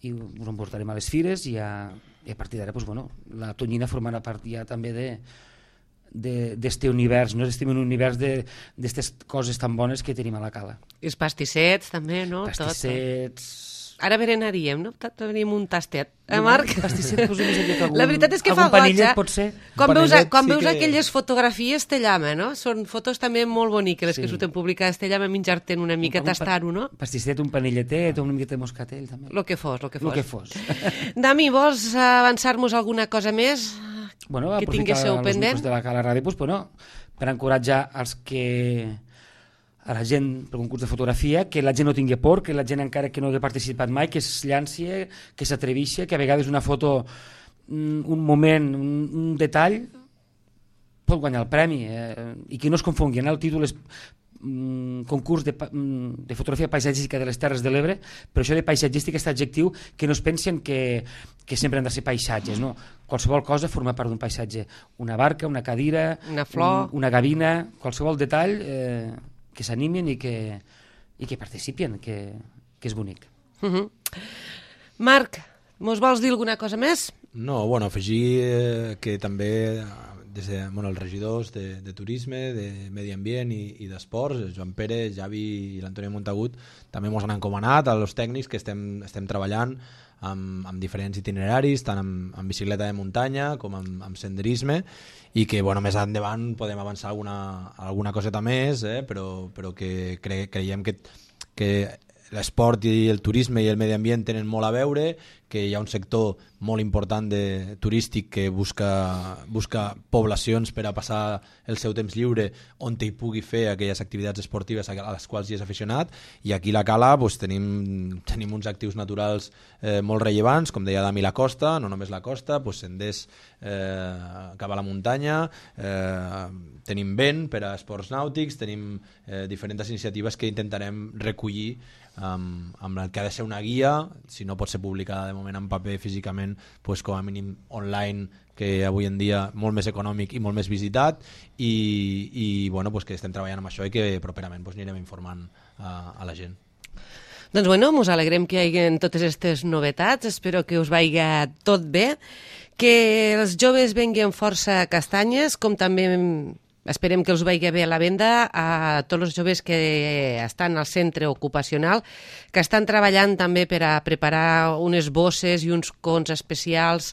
i us en portarem a les fires, i a partir d'ara pues, bueno, la tonyina formarà part ja també d'este univers, no? Estem en un univers d'estes coses tan bones que tenim a la cala. I els pastissets també, no? Pastissets... Ara berenaríem, no? Tenim un tastet. Marc? Pastisset, pues, la veritat és que fa goig, pot ser. Quan veus aquelles fotografies te llama, no? Són fotos també molt boniques, les que surten publicades, te llama menjar-te'n una mica, tastar-ho, no? Pastisset, un panelletet, una miqueta de moscatell, també. Lo que fos. Dami, vols avançar-nos alguna cosa més? Bueno, que tinguéssiu pendent? De la Cala Ràdio, pues, bueno, per encoratjar a la gent per concurs de fotografia, que la gent no tingui por, que la gent encara que no hagi participat mai, que es llanci, que s'atreveixi, que a vegades una foto, un moment, un detall pot guanyar el premi, i que no es confongui. El títol és concurs de fotografia paisatgística de les Terres de l'Ebre, però això de paisatgística és adjectiu que no es pensen que sempre han de ser paisatges, no? Qualsevol cosa forma part d'un paisatge, una barca, una cadira, una flor, una gavina, qualsevol detall que s'animin i que participin, que és bonic. Marc, mos vols dir alguna cosa més? No, bueno, afegir que també des de, els regidors de turisme, de medi ambient i d'esports, Joan Pere, Javi i l'Antoni Montagut, també ens han encomanat als tècnics que estem treballant amb diferents itineraris, tant amb bicicleta de muntanya com amb senderisme, i que més endavant podem avançar alguna coseta més, però que creiem que l'esport i el turisme i el medi ambient tenen molt a veure, que hi ha un sector molt important turístic que busca poblacions per a passar el seu temps lliure on hi pugui fer aquelles activitats esportives a les quals hi és aficionat, i aquí a la Cala tenim uns actius naturals molt rellevants, com deia Dami, la costa, no només la costa, senders cap a la muntanya, tenim vent per a esports nàutics, tenim diferents iniciatives que intentarem recollir amb el que ha de ser una guia, si no pot ser publicada de moment en paper físicament, com a mínim online, que avui en dia molt més econòmic i molt més visitat, i que estem treballant amb això i que properament anirem informant a la gent. Doncs ens alegrem que hi hagi totes aquestes novetats, espero que us vagi tot bé, que els joves venguen força castanyes, com també esperem que els vagi bé a la venda a tots els joves que estan al centre ocupacional, que estan treballant també per a preparar unes bosses i uns cons especials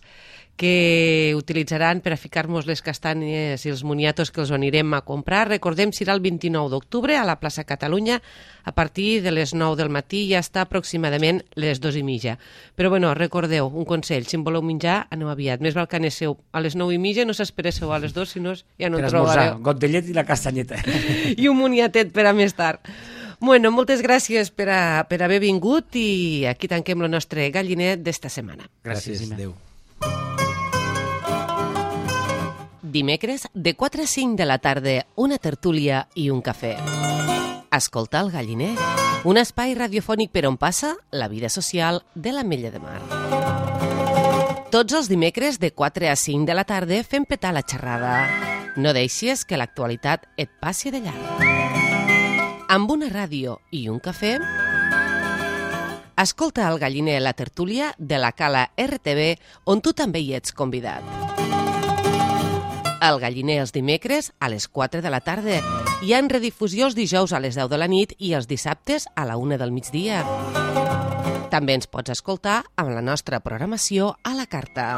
que utilitzaran per a ficar-nos les castanyes i els moniatos que els anirem a comprar. Recordem, serà el 29 d'octubre a la plaça Catalunya a partir de les 9 del matí i hasta aproximadament les 2:30. Però bueno, recordeu, un consell, si en voleu menjar, aneu aviat. Més val que aneu a les 9:30, no s'esperesseu a les 2, si no ja no en trobareu. Got de llet i la castanyeta. I un moniatet per a més tard. Bueno, moltes gràcies per haver vingut i aquí tanquem el nostre galliner d'esta setmana. Gràcies. Adéu. Dimecres, de 4 a 5 de la tarda, una tertúlia i un cafè. Escolta el galliner, un espai radiofònic per on passa la vida social de l'Ametlla de Mar. Tots els dimecres, de 4 a 5 de la tarda, fem petar la xerrada. No deixis que l'actualitat et passi de llarg. Amb una ràdio i un cafè, escolta el galliner la tertúlia de la Cala RTV, on tu també hi ets convidat. El galliner els dimecres a les 4 de la tarda i en redifusió els dijous a les 10 de la nit i els dissabtes a la 1 del migdia. També ens pots escoltar amb la nostra programació a la carta.